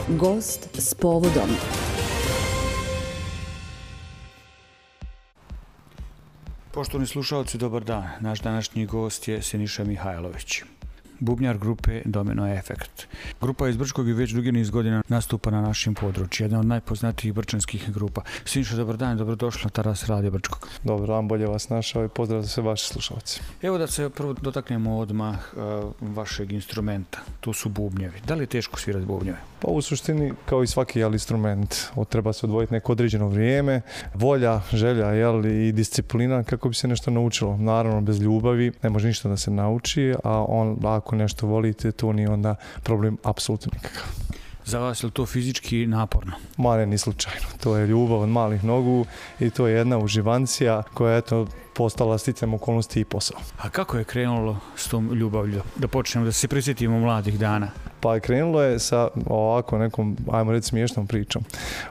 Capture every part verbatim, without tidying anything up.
Gost s povodom. Poštovani slušalci, dobar dan. Naš današnji gost je Siniša Mihajlović, bubnjar grupe Domino Efekt. Grupa iz Brčkog i već dugi niz godina nastupa na našim području, jedna od najpoznatijih brčanskih grupa. Siniša, dobar dan i dobrodošli na Taras Radio Brčkog. Dobar dan, bolje vas našao i pozdrav za sve vaše slušalci. Evo da se prvo dotaknemo odmah uh, vašeg instrumenta, to su bubnjevi. Da li je teško svirati bubnjeve? Pa u suštini, kao i svaki jel, instrument, treba se odvojiti neko određeno vrijeme, volja, želja jel, i disciplina kako bi se nešto naučilo. Naravno, bez ljubavi ne može ništa da se nauči, a on, ako nešto volite, to nije onda problem apsolutno nikakav. Za vas je li to fizički naporno? Ma ne, ni slučajno. To je ljubav od malih nogu i to je jedna uživancija koja je eto, postala sticajem okolnosti i posao. A kako je krenulo s tom ljubavlju? Da počnemo, da se prisjetimo mladih dana. Pa krenulo je sa ovako nekom, ajmo reći, smiješnom pričom.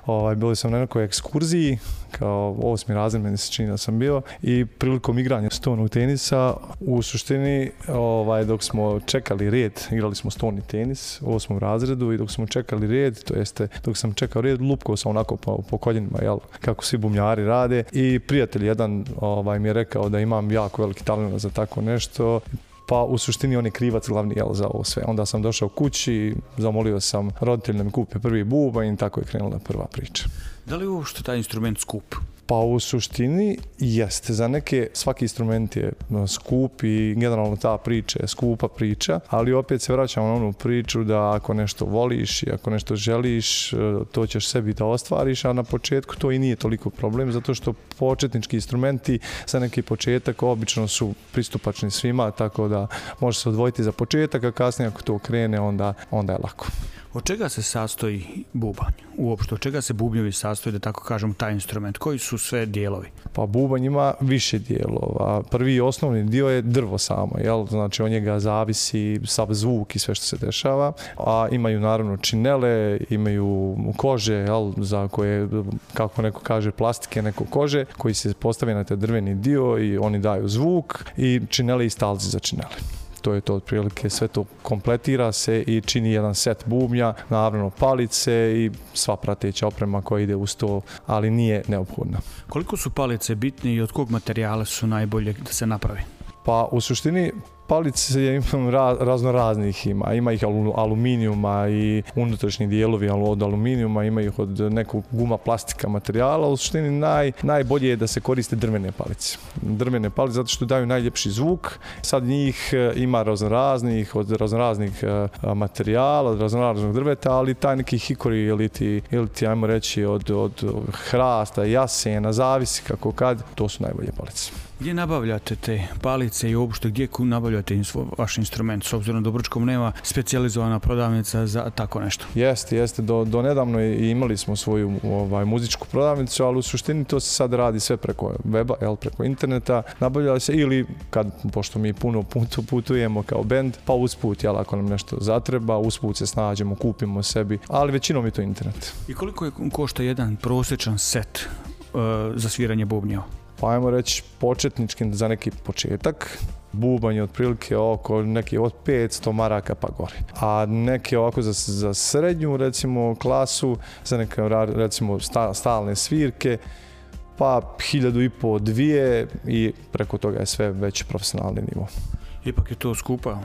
Ovaj, bili sam na nekoj ekskurziji, kao osmi razred, meni se čini da sam bio, i prilikom igranja stonog tenisa, u suštini, ovaj, dok smo čekali red, igrali smo stoni tenis u osmom razredu i dok smo čekali red, to jeste, dok sam čekao red, lupkao sam onako po, po koljenima, jel, kako svi bubnjari rade, i prijatelj jedan ovaj, mi je rekao da imam jako veliki talent za tako nešto. Pa u suštini on je krivac glavni jel, za ovo sve. Onda sam došao kući, zamolio sam roditelj da mi kupe prvi bubanj i tako je krenula prva priča. Da li je uopšte taj instrument skup? Pa u suštini jeste. Za neke svaki instrument je skup i generalno ta priča je skupa priča, ali opet se vraćamo na onu priču da ako nešto voliš i ako nešto želiš, to ćeš sebi da ostvariš, a na početku to i nije toliko problem, zato što početnički instrumenti za neki početak obično su pristupačni svima, tako da može se odvojiti za početak, a kasnije ako to krene, onda, onda je lako. Od čega se sastoji bubanj? Uopšte, od čega se bubnjevi sastoji, da tako kažem, taj instrument? Koji su sve dijelovi? Pa bubanj ima više dijelova. Prvi osnovni dio je drvo samo, jel? Znači od njega zavisi sav zvuk i sve što se dešava. A imaju naravno činele, imaju kože, jel? Za koje, kako neko kaže, plastike, neko kože, koji se postave na taj drveni dio i oni daju zvuk, i činele i stalci za činele. To je to otprilike, sve to kompletira se i čini jedan set bubnja, naravno palice i sva prateća oprema koja ide uz to, ali nije neophodna. Koliko su palice bitne i od kog materijala su najbolje da se napravi? Pa u suštini palice imam razno raznih ima. Ima ih aluminijuma i unutrašnji dijelovi od aluminijuma, ima ih od nekog guma, plastika, materijala. U suštini naj, najbolje je da se koriste drvene palice. Drvene palice zato što daju najljepši zvuk. Sad njih ima razno raznih, od razno raznih materijala, od razno raznog drveta, ali taj neki hikori ili ti, ili ti ajmo reći od, od hrasta, jasena, zavisi kako kad, to su najbolje palice. Gdje nabavljate te palice i uopšte gdje nabavljate vaš instrument, s obzirom da u Brčkom nema specijalizovana prodavnica za tako nešto? Jeste, jeste. Do, do nedavno imali smo svoju ovaj, muzičku prodavnicu, ali u suštini to se sad radi sve preko weba, jel, preko interneta. Nabavlja se ili, kad, pošto mi puno putu putujemo kao bend, pa usput, jel, ako nam nešto zatreba, usput se snađemo, kupimo sebi, ali većinom je to internet. I koliko je košta jedan prosječan set uh, za sviranje bubnjeva? Pa ajmo reći početnički za neki početak. Bubanj je otprilike oko neki od petsto maraka pa gore. A neke ovako za, za srednju recimo klasu, za neke recimo stalne svirke, pa hiljadu i po, dvije, i preko toga je sve već profesionalni nivo. Ipak je to skupa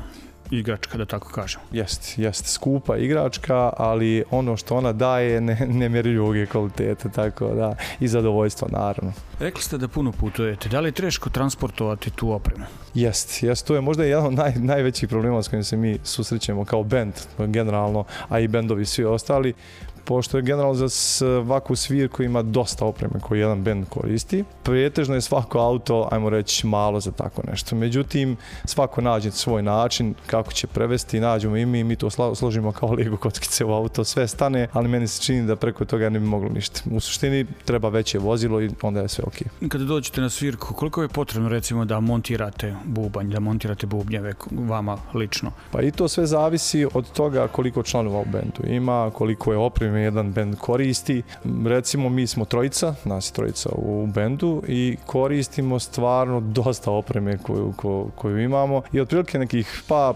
igračka, da tako kažem. Jeste, jeste skupa igračka, ali ono što ona daje ne, nemjerljivog je kvalitete, tako da, i zadovoljstva naravno. Rekli ste da puno putujete, da li je teško transportovati tu opremu? Jest, jest, to je možda jedan od naj, najvećih problema s kojim se mi susrećemo kao bend, generalno, a i bendovi svi ostali. Pošto je generalno za svaku svirku ima dosta opreme koju jedan bend koristi. Prijetežno je svako auto, ajmo reći, malo za tako nešto. Međutim, svako nađe svoj način kako će prevesti, nađemo i mi, mi to složimo kao Lego kockice u auto, sve stane, ali meni se čini da preko toga ne bi moglo ništa. U suštini treba veće vozilo i onda je sve ok. Kada dođete na svirku, koliko je potrebno recimo da montirate bubanj, da montirate bubnjeve vama lično? Pa i to sve zavisi od toga koliko članova u bendu ima, koliko je opreme jedan bend koristi. Recimo mi smo trojica, nas je trojica u bendu i koristimo stvarno dosta opreme koju, koju, koju imamo i otprilike nekih pa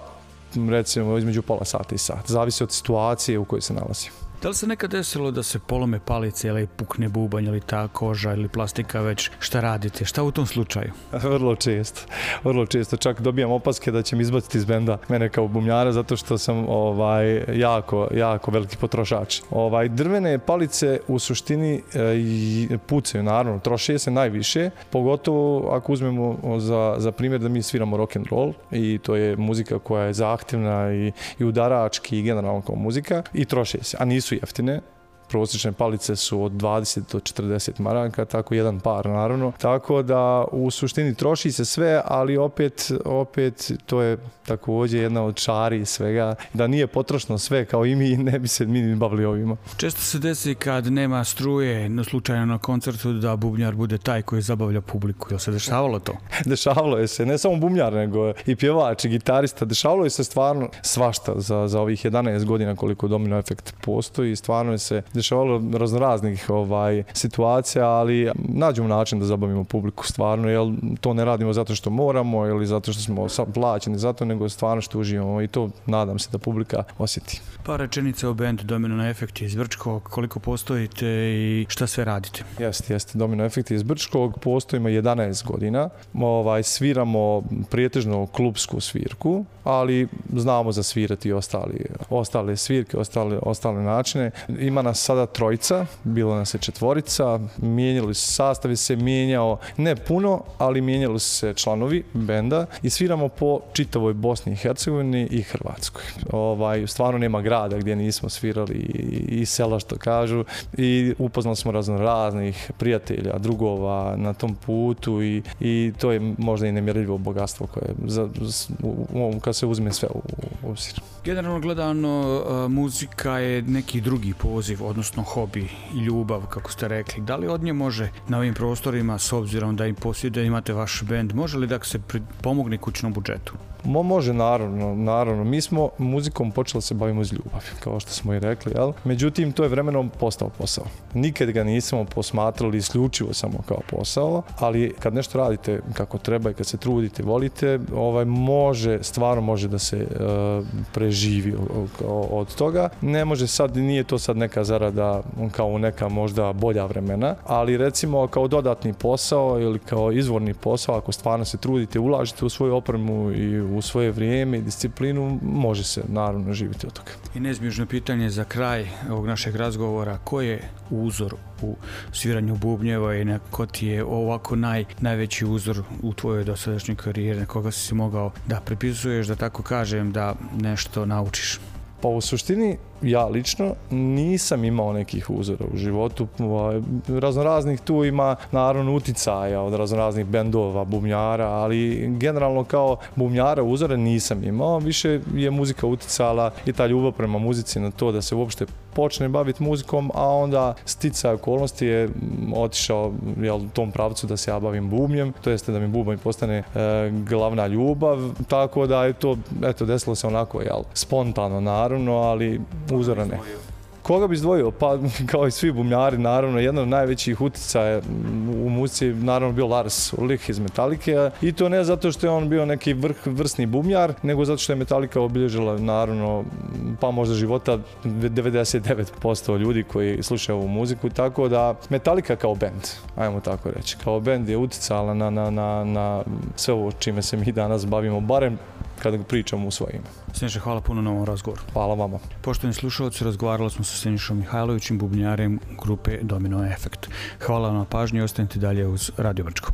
recimo između pola sata i sat. Zavisi od situacije u kojoj se nalazi. Da li se nekad desilo da se polome palice ili pukne bubanj ili ta koža ili plastika već? Šta radite? Šta u tom slučaju? Vrlo često. Vrlo često. Čak dobijam opaske da će mi izbaciti iz benda mene kao bubnjara zato što sam ovaj, jako, jako veliki potrošač. Ovaj, drvene palice u suštini e, pucaju, naravno, troše se najviše, pogotovo ako uzmemo za, za primjer da mi sviramo rock and roll i to je muzika koja je zahtjevna i, i udarački i generalno kao muzika i troše se, a nisu jeftine. Prosječne palice su od dvadeset do četrdeset maraka, tako jedan par naravno. Tako da u suštini troši se sve, ali opet, opet to je također jedna od čari svega. Da nije potrošno sve kao i mi, ne bi se mi ni bavili ovima. Često se desi kad nema struje, no slučajno na koncertu, da bubnjar bude taj koji zabavlja publiku. Jel se dešavalo to? Dešavalo je se, ne samo bubnjar, nego i pjevač i gitarista. Dešavalo je se stvarno svašta za, za ovih jedanaest godina koliko Domino Efekt postoji. Stvarno je se dešavalo raznoraznih ovaj, situacija, ali nađemo način da zabavimo publiku stvarno, jer to ne radimo zato što moramo ili zato što smo plaćeni zato, nego stvarno što uživamo i to nadam se da publika osjeti. Par rečenica o bendu Domino Efekt iz Brčkog, koliko postojite i šta sve radite? Jeste, jeste. Domino Efekt iz Brčkog, postojimo jedanaest godina. Ovaj, sviramo prijetežno klubsku svirku, ali znamo zasvirati i ostali, ostale svirke, ostale, ostale načine. Ima nas sada trojica, bilo nas je četvorica, mijenjali su, sastav se mijenjao, ne puno, ali mijenjali su se članovi benda i sviramo po čitavoj Bosni i Hercegovini i Hrvatskoj. Ovaj, stvarno nema grada gdje nismo svirali i, i sela što kažu i upoznali smo razno raznih prijatelja, drugova na tom putu i, i to je možda i nemjerljivo bogatstvo koje za, u, kad se uzme sve u obzir. Generalno gledano, muzika je neki drugi poziv, odnosno hobi i ljubav, kako ste rekli. Da li od nje može na ovim prostorima, s obzirom da im posjeduje, imate vaš bend, može li da se pomogne kućnom budžetu? Mo, može, naravno, naravno. Mi smo muzikom počeli se bavimo iz ljubavi, kao što smo i rekli, jel? Međutim, to je vremenom postao posao. Nikad ga nismo posmatrali isključivo samo kao posao, ali kad nešto radite kako treba i kad se trudite, volite, ovaj, može, stvarno može da se uh, preživi od toga. Ne može sad, nije to sad neka zarada kao neka možda bolja vremena, ali recimo kao dodatni posao ili kao izvorni posao, ako stvarno se trudite, ulažete u svoju opremu i u svoje vrijeme i disciplinu, može se naravno živjeti od toga. I neizbježno pitanje za kraj ovog našeg razgovora, ko je uzor u sviranju bubnjeva i ko ti je ovako naj, najveći uzor u tvojoj dosadašnjoj karijeri, na koga si mogao da prepisuješ, da tako kažem, da nešto naučiš? Pa u suštini ja lično nisam imao nekih uzora u životu. Raznoraznih tu ima naravno uticaja od raznoraznih bendova, bubnjara, ali generalno kao bubnjara uzore nisam imao. Više je muzika uticala i ta ljubav prema muzici na to da se uopšte počne baviti muzikom, a onda sticaj okolnosti je otišao jel, u tom pravcu da se ja bavim bubnjem, to jeste da mi bubanj postane e, glavna ljubav, tako da je to, eto, desilo se onako, jel, spontano naravno, ali uzora ne. Koga bi izdvojio? Pa kao i svi bubnjari, naravno, jedan od najvećih uticaja u muzici naravno bio Lars Ulrich iz Metallice i to ne zato što je on bio neki vrh, vrsni bubnjar, nego zato što je Metallica obilježila naravno pa možda života devedeset devet posto ljudi koji slušaju ovu muziku, tako da Metallica kao bend, ajmo tako reći, kao bend je uticala na, na, na, na sve ovo čime se mi danas bavimo, barem kada pričamo u svoje ime. Siniša, hvala puno na ovom razgovoru. Hvala vama. Poštovani slušalci, razgovarali smo sa Sinišom Mihajlovićem, bubnjarem grupe Domino Efekt. Hvala vam na pažnji i ostanite dalje uz Radio Brčko.